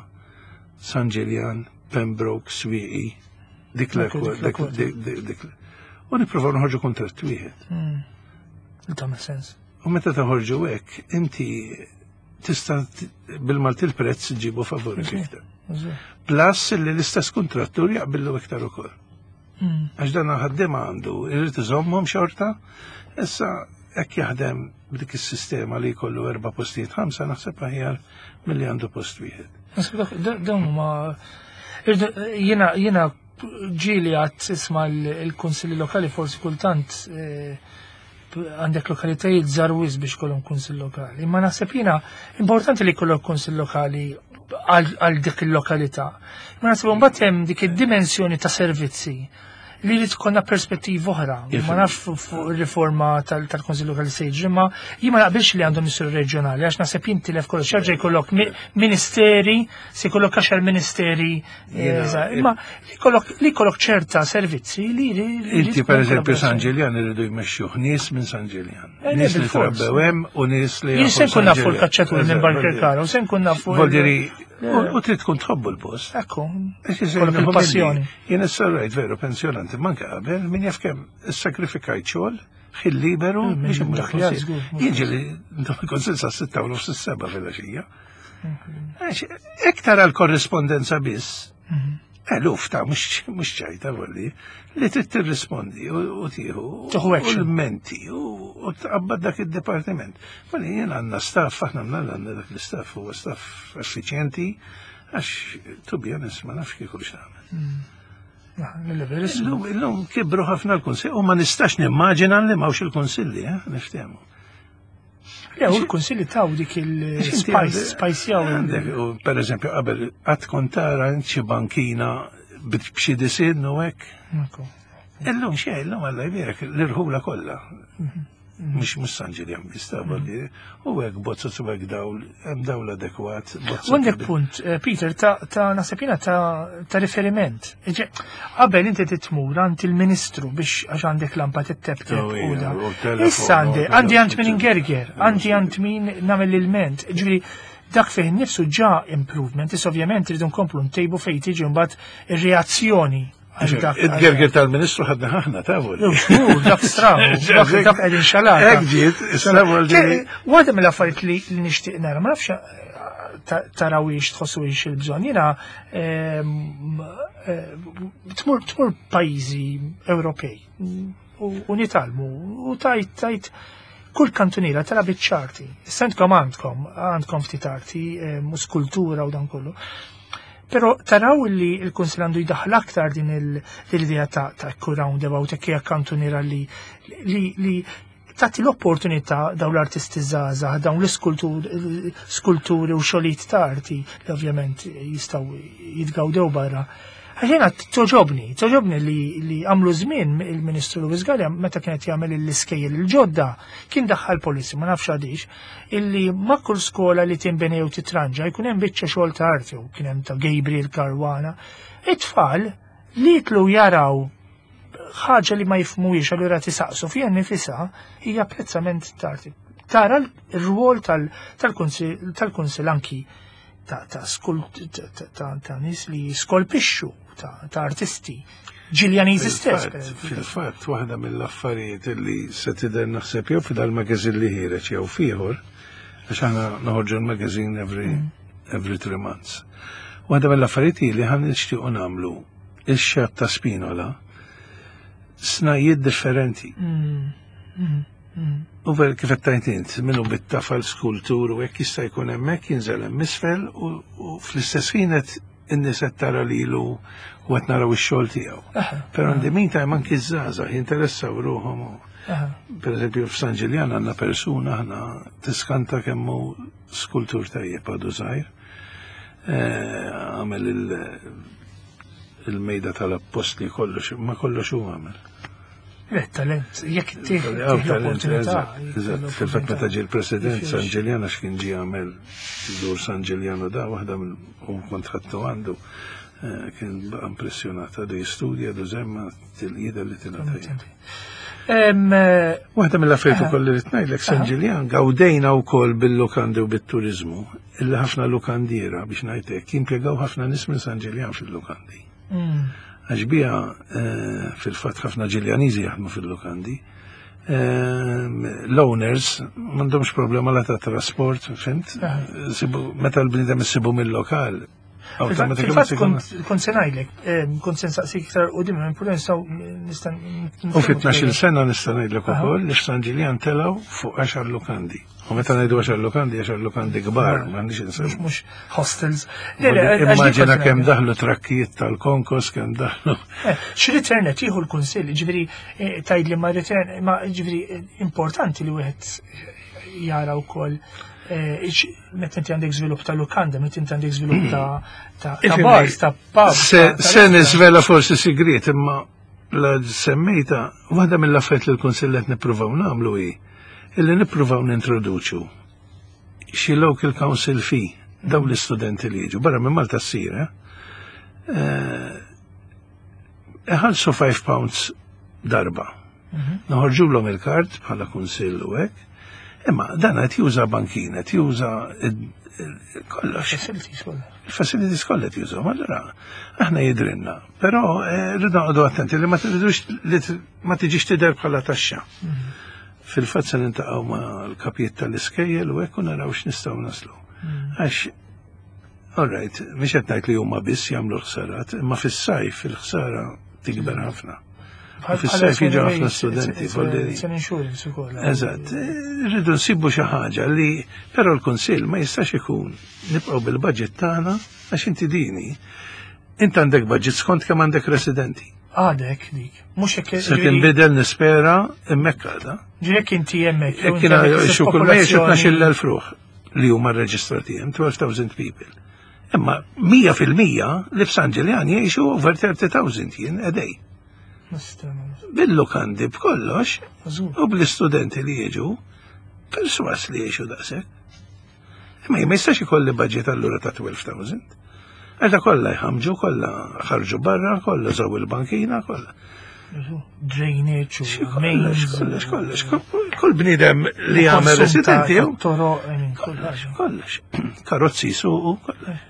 San Ġiljan, Pembroke, Swieqi, dik l dik U nippruvaw noħorġu kuntratt wieħed. Hmm. Tagħmel sens. U meta toħorġu hekk, inti tista' bil-Malti l-prezz ġibu favorik iktar. Plus li l-istess kontrattur jaqbillu iktar ukoll. Hmm. Għax dan ħaddiem għandu, irid iżommhom xorta, issa hekk jaħdem b'dik is-sistema li jkollu erba' postijiet ħamsa naħseb aħjar milli għandu post wieħed. Dawn huma jiena jiena ġieli għad isma' l-kunsilli lokali forsi kultant eh, għandek lokalitajiet żgħar wisq biex kollhom kunsill lokali. Imma naħseb jiena importanti li jkollok kunsill lokali għal dik il-lokalità. Ma naħseb mbagħad hemm dik id-dimensjoni ta' servizzi li li tkollna perspettiva oħra. Ma nafx fuq ir-riforma tal-Konsil Lokali se jiġri, ma jien ma naqbilx li għandhom isiru reġjonali għax naħseb jintilef kollox jerġa' jkollok ministeri, se jkollok għaxar ministeri, eh, imma li jkollok ċerta servizzi li Inti per eżempju San Ġiljan iridu jmexxuh nies minn San Ġiljan. Eh, nies li trabbew hemm u nies li. Jien se nkun nafu l-kaċċaturi minn Barkerkara u se nkun nafu. Voldiri, U trid tkun tħobbu l-post. Ekku. Il-passjoni. Jien issa rajt veru pensjonanti manka qabel min jaf kemm issakrifikajt xogħol ħin liberu mm, biex imur il-kunsill. Jiġi li ndom il-kunsill sa' sitta u nofs is-seba' filgħaxija. Iktar għal korrispondenza biss, mhm. eluf ta' mhux ċajta volli, li trid tirrispondi u tieħu u l-menti u tqabbad dak id-dipartiment. Volli jien għandna staff, aħna għandna dak l-istaff huwa staff effiċjenti, għax to be honest ma nafx kieku x'nagħmel. Hmm. Illum, illum kibru ħafna l-kunsilli u ma nistax nimmaġina li mawx il-kunsilli, eh, niftehmu. Le, u l-kunsilli taw dik il-spice, spice jaw. Per eżempju, qabel qatt kont tara xi bankina b'xi disin u hekk. Illum xejn, illum Alla jbierek l-irħula kollha. Mhm. Mhux mhux San Ġiljan biss ta' mm. u hekk bozzot u hekk dawl, hemm dawl adekwat. Għandek punt, eh, Peter, ta' naħseb jiena ta' riferiment. Qabel inti titmur għand il-ministru biex għax għandek lampa tittebteb oh, u da. Issa għandi, għandi għand min ingerger, għandi għand min nagħmel il-ment. Ġifieri dak fih nifsu ġa improvement, issa ovvjament rridu nkomplu ntejbu fejn tiġi mbagħad ir-reazzjoni. Il-gerger tal-ministru ħadna ħahna tavu. Dak stravu, dak qegħdin xalata. Hekk ġiet, stravu ġiet. Waħda mill-affarijiet li nixtieq nara, ma nafx eh, tarawix tħossuix il-bżonn. Jiena ehm, eh, tmur tmur pajjiżi Ewropej u nitalmu u tajt tajt kull kantuniera tara biċ-ċarti. Sentkom għandkom, għandkom ftit arti, eh, skultura u dan kollu. Pero taraw li l-Kunsil għandu jdaħħal aktar din l-idea ta' ta' roundabout hekk hija kantuniera li li tagħti l-opportunità dawn l-artisti żgħażagħ, dawn l-iskulturi u xogħlijiet ta' arti li ovvjament jistgħu jitgawdew barra. Għax jiena toġobni, toġobni li, li għamlu żmien il-Ministru Louis Galea meta kienet jagħmel l-iskejjel il-ġodda kien daħħal policy, ma nafx għadix, illi ma' kull skola li tinbena jew titranġa jkun hemm biċċa xogħol ta' arti u kien hemm ta' Gabriel Caruana. It-tfal li jitlu jaraw ħaġa li ma jifhmuhiex allura tisaqsu fiha nifisha hija apprezzament ta' arti. Tara l-rwol tal-kunsil anki ta' ta' nies li skolpixxu ta' artisti Ġiljaniżi stess. Fil-fatt, waħda mill-affarijiet li se tidher naħseb jew f'dal-magazin li ħiereġ jew fieħor, għax aħna noħorġu l-magazin every, mm. every three months. Waħda mill-affarijiet li ħan nixtiequ nagħmlu ix-xatt ta' Spinola snajjiet differenti. Mm. Mm. Mm. U ver kif qed tgħid int, minnu bit-tafal skultur u hekk jista' jkun hemmhekk jinżel hemm isfel u fl-istess ħin qed in-nies qed tara lilu u qed naraw ix-xogħol tiegħu. Però in the meantime anki ż-żgħażagħ jinteressaw ruħhom. Per eżempju f'San Ġiljan għandna persuna aħna tiskanta kemm hu skultur tajjeb għadu żgħir. Eh, għamel il-mejda tal-appostli kollox, ma kollox hu għamel. Le, talent, jekk tih l-opportunità. Fil-fatt meta ġie l-President San Ġiljan għax kien ġie għamel dur San Ġiljan u da waħda u kont ħadtu għandu eh, kien baqa' impressjonat għadu jistudja għadu zemma til-jida li tingħata. Eh, waħda mill-affarijiet ukoll li rid ngħidlek San Ġiljan gawdejna wkoll bil-lukandi u bit-turiżmu illi ħafna lukandiera biex ngħidlek jimpjegaw ħafna nies minn San Ġiljan fil-lukandi. Mm. Għax bija eh, fil-fatt ħafna Ġiljaniżi jaħdmu fil-lukandi. Eh, l-owners m'għandhomx problema la ta' trasport, fimt? Meta l-bniedem issibu mill-lokal, Fil-fatt kont se ngħidlek, eh, kont se nsaqsik iktar qudiem minn pura nistgħu nista' U fit-12 sena nista' ngħidlek ukoll li f'San Ġiljan telgħu fuq 10 lukandi. U meta ngħidu għaxar lukandi, għaxar lukandi kbar, m'għandix insemmu. Mhux hostels. Immaġina kemm daħlu trakkijiet tal-konkos, kemm daħlu. Eh, X'return qed jieħu l-kunsill, ġifieri eh, tgħid li ma return, ma ġifieri eh, importanti li wieħed jara wkoll meta inti għandek żvilupp ta' lukanda, meta inti għandek żvilupp ta' bars, ta' pub. Se niżvela forsi sigriet, imma la semmejta, waħda mill-affarijiet li l-Kunsill qed nippruvaw nagħmlu hi illi nippruvaw nintroduċu xi local council fee dawn l-istudenti li jiġu barra minn Malta ssir, eh? eh iħallsu 5 pounds darba. Mhm. Noħorġulhom il-kart bħala kunsill u hekk. Imma dan qed juża bankin, qed juża kollox. Facilities kollha. Il-facilities kollha qed jużhom, allura aħna jidrinna. Però eh, rridu noqogħdu attenti li ma tridux li ma tiġix tidher bħala taxxa. Mhm. Fil-fatt se nintaqgħu ma' l-kapijiet tal-iskejjel u hekk u naraw x'nistgħu naslu. Mhm. Għax All right, mhix qed ngħid li huma biss jagħmlu l-ħsarat, imma fis-sajf il-ħsara tikber mhm. ħafna. Fis-sajf jiġu ħafna studenti. Eżatt, rridu nsibu xi ħaġa li però l-Kunsill ma jistax ikun nibqgħu bil-budget tagħna għax inti dini. Int għandek budget skont kemm għandek residenti. Għadek dik. Mhux hekk. Se tinbidel nispera hemmhekk għadha. Ġiek inti hemmhekk. Jekk kien xi kull ma jgħixu 12,000 ruħ li huma rreġistrati hemm 12,000 people. Imma 100% li f'San Ġiljan jgħixu over 30,000 jien a day. Bil-lukandi b'kollox u bl-istudenti li jiġu, perswas li jgħixu daqshekk. Imma ma jistax ikolli budget allura ta' 12,000. Għax kollha jħamġu, kollha ħarġu barra, kollha żaw il-bankina, kollha. Drainage u kollox, kollox, kollox. Kull bniedem li jagħmel residenti. Kollox, kollox. Karozzi suqu, kollox.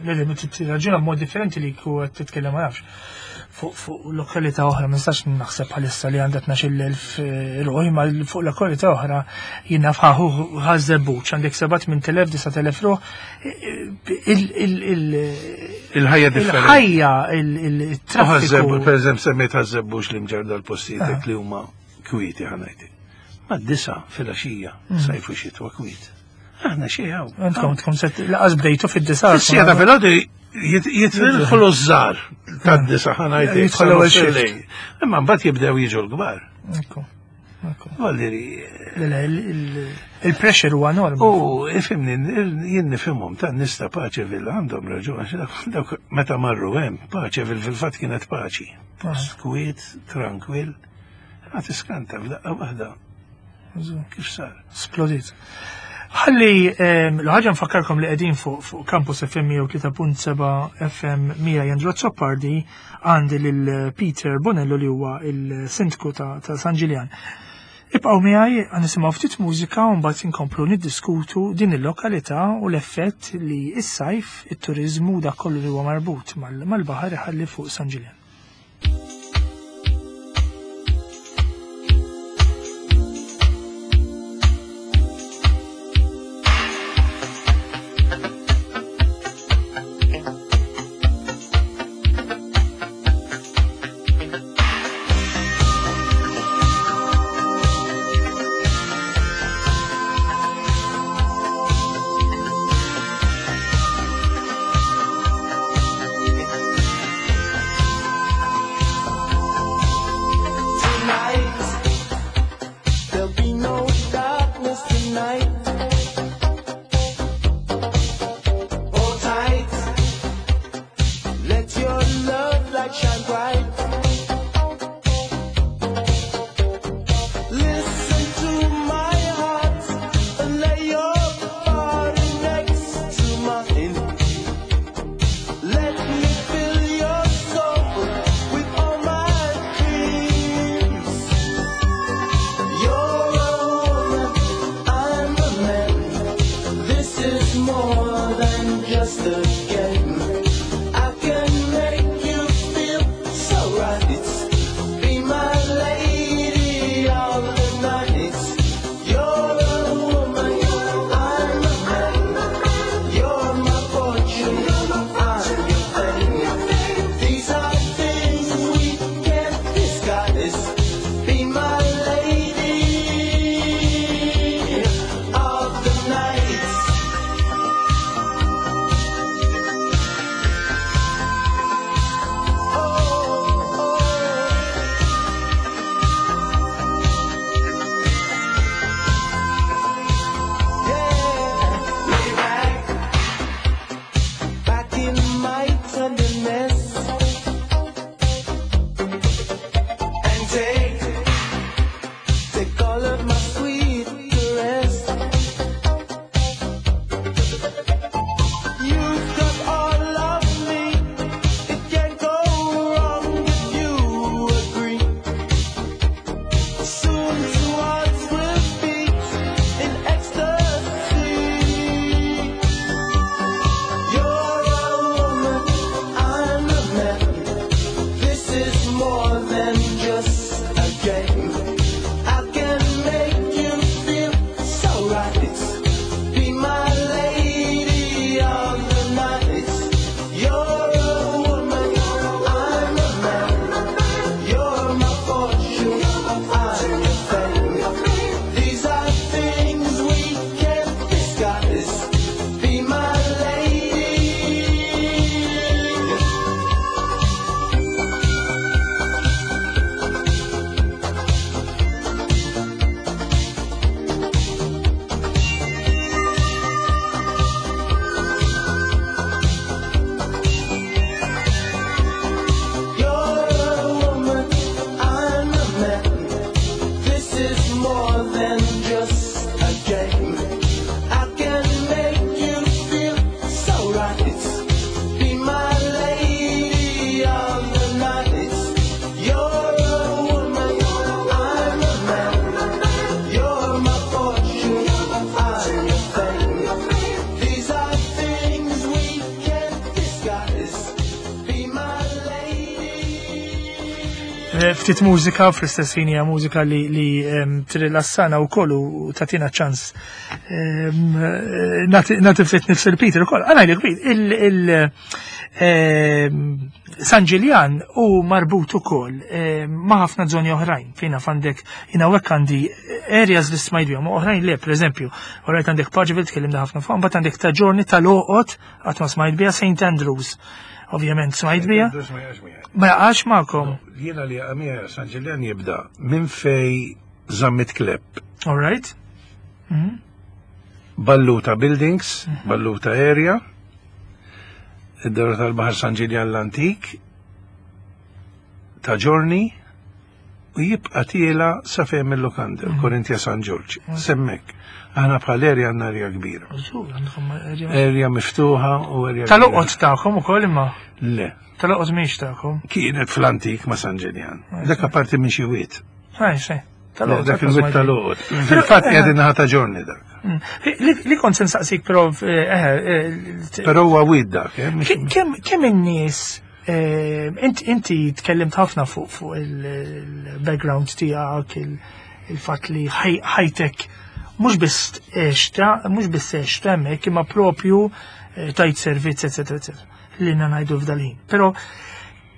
Le, le, tirraġuna b'mod differenti li ku qed titkellem ma nafx. Fuq lokalità oħra ma nistax naħseb bħalissa li għandha 12,000 ruħ, imma fuq lokalità oħra jien naf ħaħu Ħaż-Żebbuġ għandek 7,000 9,000 ruħ. Il-ħajja differenti. Il-ħajja, il-traffiku. Per eżempju, semmejt Ħaż-Żebbuġ li mġar dal-postijiet li huma kwieti ħa ngħidlek. Mad-disa' filgħaxija, sajf u xitwa kwiet. Aħna xejn hawn. Intkom tkun set laqas bdejtu fid-disa. Fis-siegħa filgħodu jidħlu ż-żgħar tad-disa ħa ngħidlek. Jidħol l-ewwel shift. Imma mbagħad jibdew jiġu l-kbar. Valdiri. Il-pressure huwa enormi. U ifhimni, jien nifhimhom ta' nies ta' Paċeville għandhom raġun għax dawk meta marru hemm, Paċeville fil-fatt kienet paċi. Kwiet, tranquil. Ma tiskanta f'daqqa waħda. Kif sar? Splodit. Ħalli l-ħaġa nfakkarkom li qegħdin fuq Campus FM 103.7 FM miegħi Andrew Azzopardi, għandi lil Peter Bonello li huwa il-sindku ta' San Ġiljan. Ibqgħu miegħi għan nisimgħu ftit mużika u mbagħad inkomplu niddiskutu din il-lokalità u l-effett li s-sajf, it-turiżmu dak kollu li huwa marbut mal-baħar iħalli fuq San Ġiljan. Ftit mużika, fl-istess ħin hija mużika li, li trilassana wkoll u tagħtina ċans nagħti ftit nifs il-Peter ukoll. Għana il, il San Ġiljan u marbut ukoll ma' ħafna żoni oħrajn fejn għandek jiena hekk għandi areas li smajt bihom oħrajn le, pereżempju, orajt għandek Paceville tkellimna ħafna fuq, mbagħad għandek ta' ġorni tal-Oqot qatt ma smajt biha St. Andrews. Ovvjament smajt biha. Ma jaqax magħkom. Jiena li għamija San Ġiljan jibda minn fej Zammit Klepp. All right. Balluta Buildings, Balluta Area, id-dawra tal-Baħar San Ġiljan l-Antik, ta' ġorni, u jibqa' tiela sa fejn il-lukanda, Korintia San Ġorġ. Semmek. Aħna bħal area għandna area kbira. Area miftuħa u area. Tal-oqgħod tagħkom ukoll imma? Le. Tal-oqgħod mhix tagħkom. Kienet fl-antik ma' San Ġiljan. Dak apparti minn xi wied. Ħaj, Dak il-wied tal-oqgħod. Fil-fatt qegħdin naħa ta' ġorni dak. Li kont se nsaqsik però Però huwa wied dak, Kemm in-nies inti tkellimt ħafna fuq il-background tiegħek, il-fatt li ħajtek mhux biss għexta, mhux biss għexta hemmhekk imma propju tajt servizz, eċetera, eċetera, li ngħidu f'dal-ħin. Però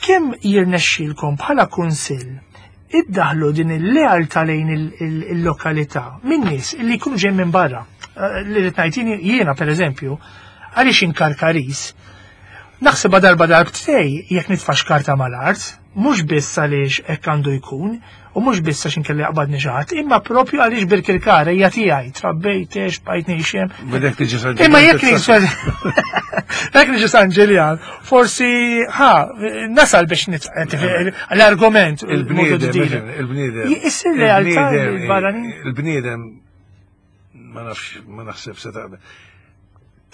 kemm jirnexxilkom bħala kunsill iddaħlu din il-lealtà lejn il-lokalità minn nies li jkunu ġejjin minn barra. Li rrid ngħid jiena pereżempju, għaliex inkarkaris, naħsibha darba darbtej jekk nitfax karta mal-art, mhux biss għaliex hekk għandu jkun, u mhux biss għax inkelli jaqbadni xi ħadd, imma propju għaliex Birkirkara hija tiegħi, trabbejt għex bqajt ngħix hemm. Bidek tiġi San Imma jekk jekk niġi San Ġiljan, forsi ħa nasal biex l-argument. Il-bniedem, il-bniedem. Issir realtà barranin. Il-bniedem ma nafx, ma naħseb se taqbel.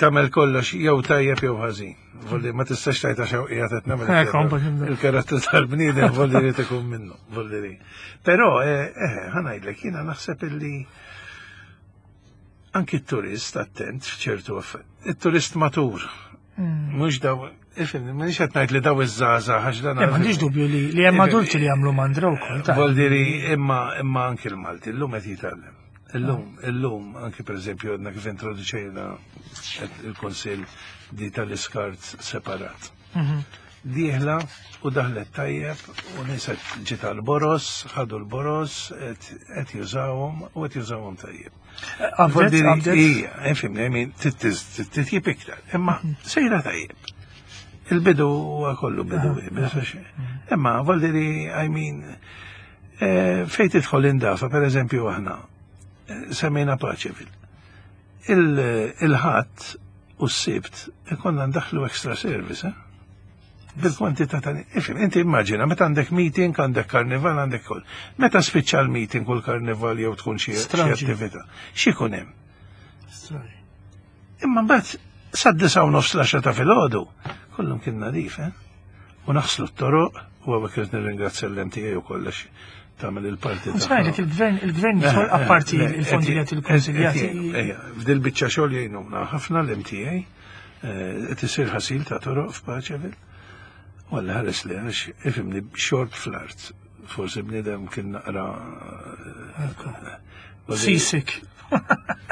Tagħmel kollox jew tajjeb jew ħażin. Volli ma tistax tajta xew qiegħed qed nagħmel. Il-karattru tal-bniedem volli li ikun minnu, volli li. Però ħa ngħidlek jiena naħseb illi anki t-turist attent f'ċertu affarijiet. Il-turist matur. Mhux daw, ifhem, m'iniex qed ngħid li daw iż-żgħażagħ għax dan. M'għandix dubju li hemm adulti li jagħmlu mandra wkoll. Voldiri imma imma anki l-Malti llum qed jitgħallem. Illum, illum, anki per eżempju, għadna kif introduċejna il-Konsil di tal-iskart separat. Dieħla u daħlet tajjeb u nies ġiet l-boros, ħadu l-boros, qed jużawhom u qed jużawhom tajjeb. Ija, ifhimni, I mean, titjib iktar, imma sejra tajjeb. Il-bidu huwa kollu bidu, imma voldiri, I mean, fej tidħol indafa, per eżempju, aħna, semmejna Paceville. Il-ħadd u s-sibt ikonna ndaħlu extra service, eh? Bil-kwantità ta' ifhem, inti immaġina, meta għandek meeting, għandek karnival, għandek kull. Meta spiċċa l-meeting u l-karnival jew tkun xi attività, x'ikun hemm? Imma mbagħad sa 9:30 l-10 ta' filgħodu, kollhom kien nadif, eh? U naħslu t-toroq, u għawek irrid nirringrazzja l-MTA u kollox tagħmel il-parti. Smajlek il-gvern jidħol apparti il-fondi li il-konsiljati. F'dil biċċa xogħol jgħinuna ħafna l-MTA, qed isir ħasil ta' toroq f'Paceville. Walla ħares li għax ifhimni xorb fl-art. Forsi bniedem kien naqra. Sisik.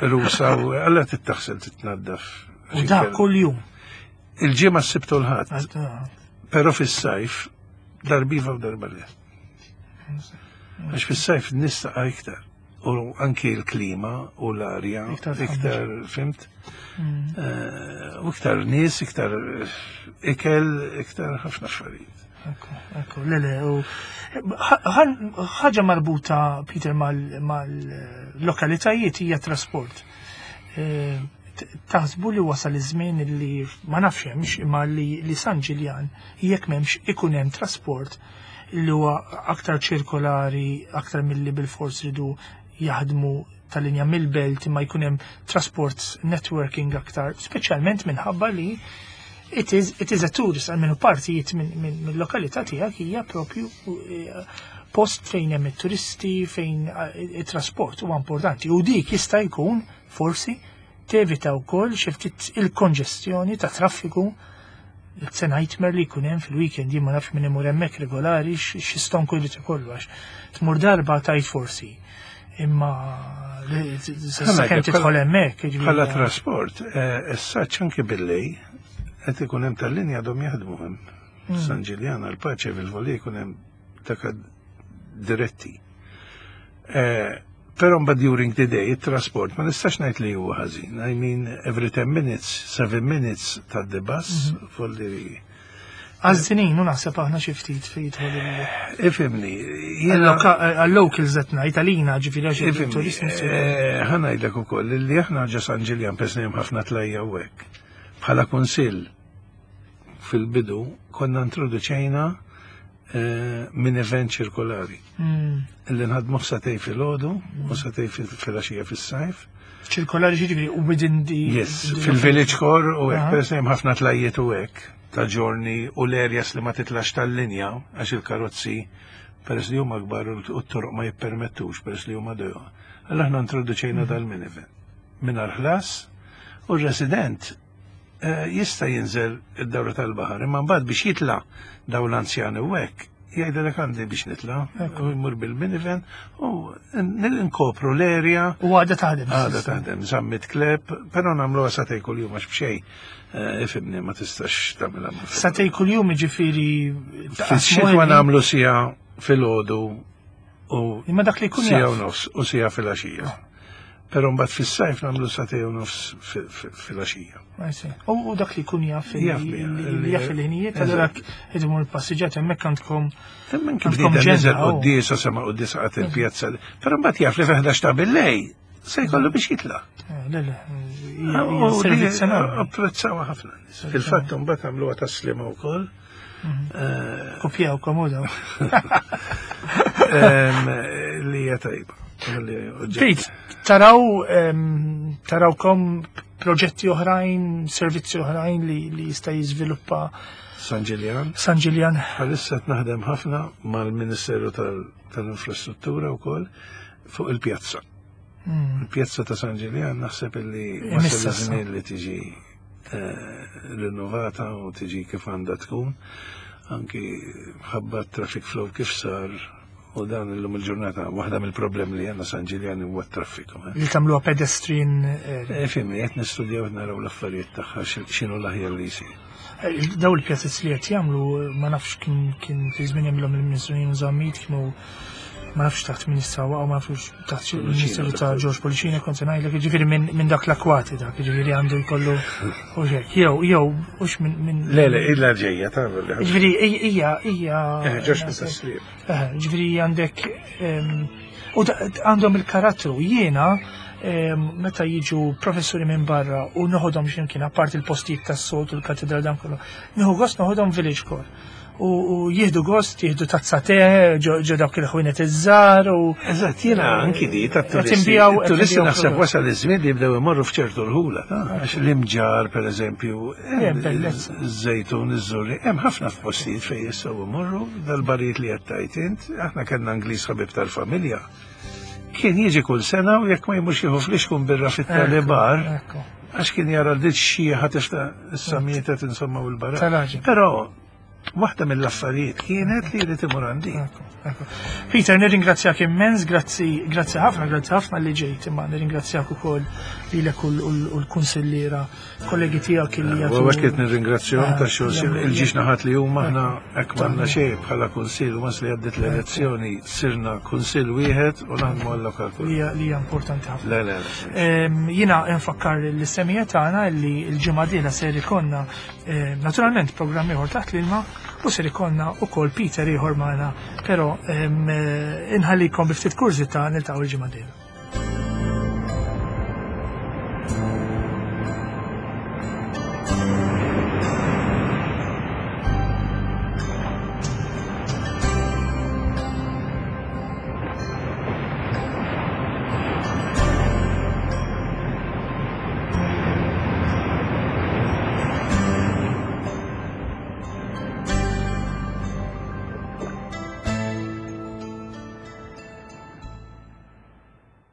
Rusa u għalla tittaħsel titnaddaf. U da kull jum. Il-ġimgħa s-Sibt u l-Ħadd. Però fis-sajf darba u darba le. Għax fis-sajf nista' iktar. U anki l-klima u l-arja iktar, fhimt? U iktar nies, iktar ikel, iktar ħafna affarijiet. Ekku, le, le, u ħaġa marbuta, Peter, mal-lokalitajiet hija trasport. Taħsbu li wasal iż-żmien li ma nafx hemmx imma li San Ġiljan jekk m'hemmx ikun hemm trasport li huwa aktar ċirkolari, aktar milli bil-fors ridu jaħdmu tal-linja mill-belt imma jkun hemm transport networking aktar, speċjalment minħabba li it is a tourist, għalmenu partijiet minn lokalità tiegħek hija propju post fejn hemm it-turisti, fejn it-trasport huwa importanti. U dik jista' jkun forsi tevita wkoll xi ftit il-konġestjoni ta' traffiku. It's a nightmare li jkun hemm fil-weekend, jien ma nafx min imur hemmhekk regolari x'istonku jrid ikollu għax tmur darba tajt forsi. Imma sakemm tidħol hemmhekk. Bħala trasport, eh, issa anke billej qed ikun hemm tal-linja għadhom jaħdmu hemm. San Ġiljan għal-paċe fil-voli jkun hemm dak diretti. Eh, però mbagħad during the day it-trasport ma nistax ngħid li huwa ħażin. I mean every 10 minutes, 7 minutes ta' the bus mhm. folli Għaż-żinin, u naħseb aħna xi ftit fejn jidħol il- Ifhimni, għal-locals qed ngħid għalina ġifieri għax il-turisti. Eh, ħa ngħidlek ukoll li aħna ġo San Ġiljan pesni hemm ħafna tlajja u hekk. Bħala kunsill fil-bidu konna introduċejna eh, minn event ċirkolari. Illi nħadmu satej fil-ħodu u satej fil-għaxija fis-sajf. Ċirkolari ġifieri u within the. Yes, fil-village core u hekk, per hemm ħafna tlajiet u hekk ta' ġorni u l-areas li ma titlax tal-linja għax il-karozzi peress li huma kbar u t-toroq ma jippermettux peress li huma dojo. Allora aħna introduċejna mhm. dal-minivan. Mingħajr ħlas u r-resident Eh, jista' jinżel id-dawra tal-baħar, imma mbagħad biex jitla' dawn l-anzjani u hekk, jgħidilek għandi biex nitla' u jmur bil-minivan u nkopru l-erja. U għadha taħdem. Għadha taħdem, żammit kleb, però nagħmluha satej kuljum għax b'xejn. Eh, ifimni ma tistax tagħmilha. Satej kuljum jiġifieri. Fix-xitwa nagħmlu sija filgħodu u Imma dak li jkun sija u nofs u sija filgħaxija. Però mbagħad fis-sajf nagħmlu satej u nofs filgħaxija. U dak li jkun jaf jaf il-ħinijiet, allura qed imur il-passiġġat hemmhekk għandkom. Hemmhekk kif bniedem niżel quddiesa sema' quddiesa qatt il-pjazza. Però mbagħad jaf li fi 11 ta' billej se jkollu biex jitla'. Eh, le, le, servizz enormi. Apprezzawa ħafna. Fil-fatt mbagħad għamluha taslima wkoll. Mhm. Kopjaw komoda. Li hija tajba. Pete, taraw tarawkom proġetti oħrajn, servizzi oħrajn li, li jista' jiżviluppa San Ġiljan. San Ġiljan. Bħalissa qed naħdem ħafna mal-Ministeru tal-Infrastruttura wkoll fuq il-pjazza. Hmm. Il-pjazza ta' San Ġiljan naħseb illi wasal iż-żmien li tiġi eh, rinnovata u tiġi kif għandha tkun anki ħabba traffic flow kif sar u dan illum il-ġurnata waħda mill-problemi li għandna San Ġiljan huwa t-traffiku. Eh. Li tagħmluha pedestrian. Eh, fimni, qed nistudjaw naraw l-affarijiet tagħha x'inhu l-aħjar li jsir. Daw il-pjazez li qed jagħmlu ma nafx kien kien fi żmien jagħmilhom il-Ministru Zammit kienu ma nafx taħt min issa waqgħu ma nafx taħt il-Ministeru ta' George Policina kont se ngħidlek, jiġifieri minn dak l-akwati dak, jiġifieri għandu jkollu u hekk, jew jew hux minn Le le illa ġejja ta' Jiġifieri hija hija eh, Ġox minn eh, Jiġifieri għandek ehm, u għandhom il-karattru jiena ehm, meta jiġu professuri minn barra u noħodhom x'imkien apparti il-postijiet tas-soltu l-katedral dan kollu, nieħu gost noħodhom village core u jieħdu gost, jieħdu tazza te, ġo dawk il-ħwienet iż-żgħar u. Eżatt, jiena anki di tat-turisti. Turisti naħseb wasal iż-żmien li jibdew imorru f'ċertu rħula, għax l-imġar pereżempju, żejtun, iż-żurri, hemm ħafna f'postijiet fejn jistgħu imorru dal-barijiet li qed tgħid int, aħna kellna Ingliż ħabib tal-familja. Kien jiġi kull sena u jekk ma jmurx jieħu flixkun birra fit-talibar, għax kien jara l-dit xieħa tifta issa mietet insomma u l-barra. Però Waħda mill-affarijiet kienet li jrid imur għandi. Peter, nirringrazzjak immens, grazzi, grazzi ħafna, grazzi ħafna li ġejt, imma nirringrazzjak ukoll lilek u l-kunsilliera kollegi tiegħek li jagħtu. U hekk nirringrazzjahom ta' xogħol il-ġiex naħat li huma aħna hekk m'għandna xejn bħala kunsill u li għaddiet l-elezzjoni sirna kunsill wieħed u naħdmu għal-lokal. Li hija importanti ħafna. Le, le, le. Jiena nfakkar l-semija tagħna li l-ġimgħa dieħla ser ikollna Eh, naturalment programm ieħor taħt l-ilma u ser ikollna ukoll Peter ieħor magħna, però eh, inħallikom bi ftit kurżità niltaqgħu il-ġimgħa dieħla.